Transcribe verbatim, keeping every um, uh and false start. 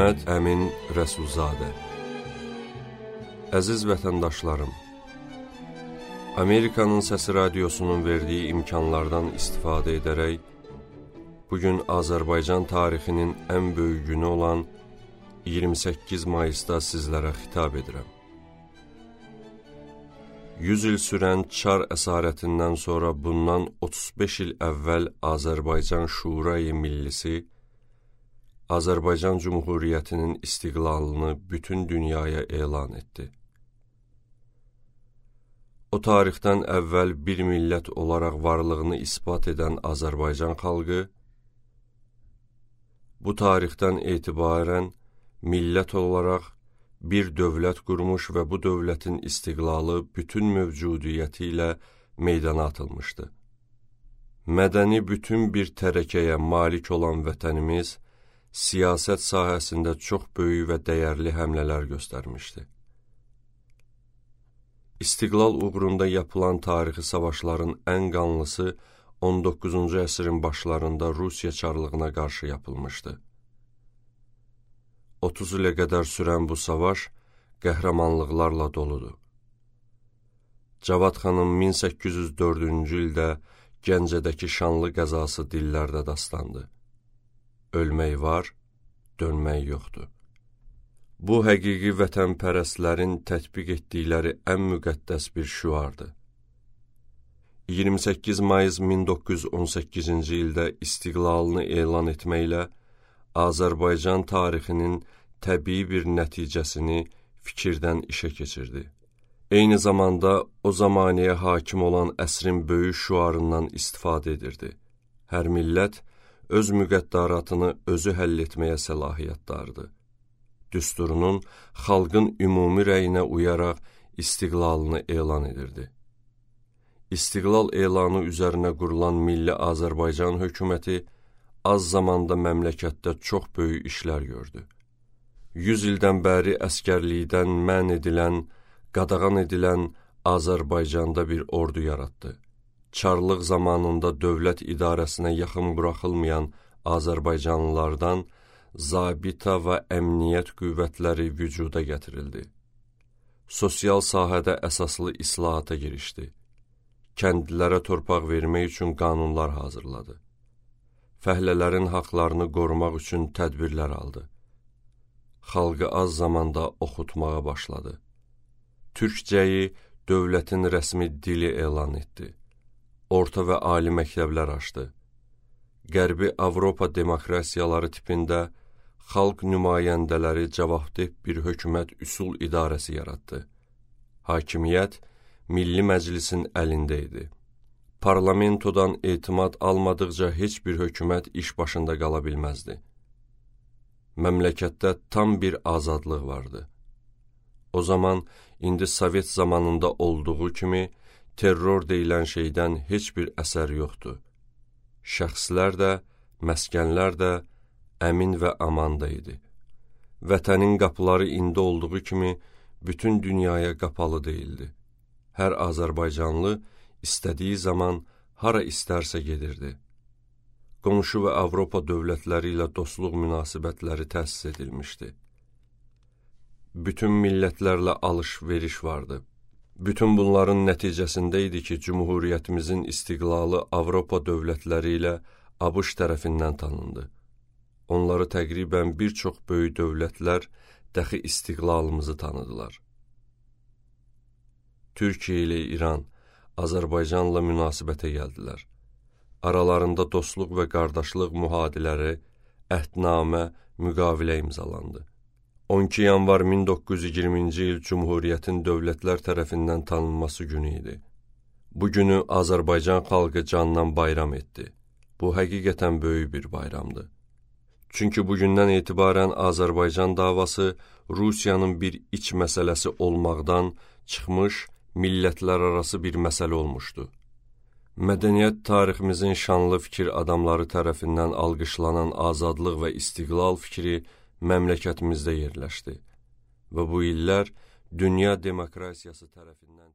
Məhəmməd Əmin Rəsulzadə. Əziz vətəndaşlarım, Amerikanın Səsi Radiosunun verdiyi imkanlardan istifadə edərək, bugün Azərbaycan tarixinin ən böyük günü olan iyirmi səkkiz mayısda sizlərə xitab edirəm. yüz il sürən Çar əsarətindən sonra bundan otuz beş il əvvəl Azərbaycan Şurayı Millisi, Azərbaycan Cümhuriyyətinin istiqlalını bütün dünyaya elan etdi. O tarixdən əvvəl bir millət olaraq varlığını isbat edən Azərbaycan xalqı, bu tarixdən etibarən millət olaraq bir dövlət qurmuş və bu dövlətin istiqlalı bütün mövcudiyyəti ilə meydana atılmışdı. Mədəni bütün bir tərəkəyə malik olan vətənimiz, siyasət sahəsində çox böyük və dəyərli həmlələr göstərmişdi. İstiqlal uğrunda yapılan tarixi savaşların ən qanlısı on doqquzuncu əsrin başlarında Rusiya çarlığına qarşı yapılmışdı. otuz ilə qədər sürən bu savaş qəhrəmanlıqlarla doludur. Cavad xanın min səkkiz yüz dördüncü ildə Gəncədəki şanlı qəzası dillərdə dastandı. Ölmək var, dönmək yoxdur. Bu, həqiqi vətənpərəstlərin tətbiq etdikləri ən müqəddəs bir şüardır. iyirmi səkkiz mayıs min doqquz yüz on səkkizinci ildə istiqlalını elan etməklə Azərbaycan tarixinin təbii bir nəticəsini fikirdən işə keçirdi. Eyni zamanda o zamaniyə hakim olan əsrin böyük şüarından istifadə edirdi. Hər millət öz müqəddaratını özü həll etməyə səlahiyyətdardır. Düsturunun xalqın ümumi rəyinə uyaraq istiqlalını elan edirdi. İstiqlal elanı üzərinə qurulan Milli Azərbaycan hökuməti az zamanda məmləkətdə çox böyük işlər gördü. yüz ildən bəri əskərlikdən mən edilən, qadağan edilən Azərbaycanda bir ordu yaratdı. Çarlıq zamanında dövlət idarəsinə yaxın buraxılmayan Azərbaycanlılardan zabita və əmniyyət qüvvətləri vücuda gətirildi. Sosial sahədə əsaslı islahata girişdi. Kəndlilərə torpaq vermək üçün qanunlar hazırladı. Fəhlələrin haqlarını qorumaq üçün tədbirlər aldı. Xalqı az zamanda oxutmağa başladı. Türkcəyi dövlətin rəsmi dili elan etdi. Orta və ali məktəblər açdı. Qərbi Avropa demokrasiyaları tipində xalq nümayəndələri cavabdeh bir hökumət üsul idarəsi yaratdı. Hakimiyyət Milli Məclisin əlində idi. Parlamentodan etimad almadıqca heç bir hökumət iş başında qala bilməzdi. Məmləkətdə tam bir azadlıq vardı. O zaman, indi Sovet zamanında olduğu kimi, terror deyilən şeydən heç bir əsər yoxdur. Şəxslər də, məskənlər də əmin və amanda idi. Vətənin qapıları indi olduğu kimi bütün dünyaya qapalı deyildi. Hər Azərbaycanlı istədiyi zaman hara istərsə gedirdi. Qonşu və Avropa dövlətləri ilə dostluq münasibətləri təsis edilmişdi. Bütün millətlərlə alış-veriş vardı. Bütün bunların nəticəsində idi ki, Cümhuriyyətimizin istiqlalı Avropa dövlətləri ilə ABŞ tərəfindən tanındı. Onları təqribən bir çox böyük dövlətlər dəxi istiqlalımızı tanıdılar. Türkiyə ilə İran, Azərbaycanla münasibətə gəldilər. Aralarında dostluq və qardaşlıq mühadiləri, əhdnamə, müqavilə imzalandı. on iki yanvar min doqquz yüz iyirminci il Cümhuriyyətin dövlətlər tərəfindən tanınması günü idi. Bu günü Azərbaycan xalqı candan bayram etdi. Bu həqiqətən böyük bir bayramdır. Çünki bugündən etibarən Azərbaycan davası Rusiyanın bir iç məsələsi olmaqdan çıxmış, millətlər arası bir məsələ olmuşdu. Mədəniyyət tariximizin şanlı fikir adamları tərəfindən alqışlanan azadlıq və istiqlal fikri məmləkətimizdə yerləşdi və bu illər dünya demokrasiyası tərəfindən